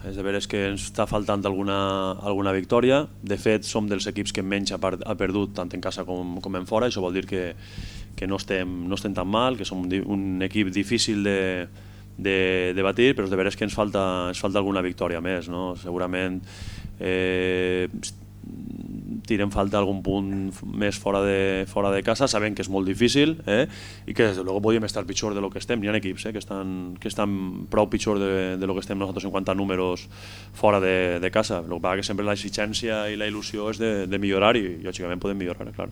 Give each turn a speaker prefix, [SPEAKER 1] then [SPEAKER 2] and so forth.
[SPEAKER 1] és de veres que ens està faltant alguna victòria. De fet, som dels equips que menys ha perdut tant en casa com en fora. Això vol dir que no estem tan mal, que som un equip difícil de batir, però és de veres que ens falta alguna victòria més, no? Segurament tirem falta algun punt més fora de casa, sabent que és molt difícil, i que des de luego podríem estar pitjor de lo que estem. Hi ha equips que estan prou pitjor de lo que estem nosaltres en quant a números fora de casa. El que passa que sempre l'exigència i la il·lusió és de millorar, i lògicament podem millorar, clar.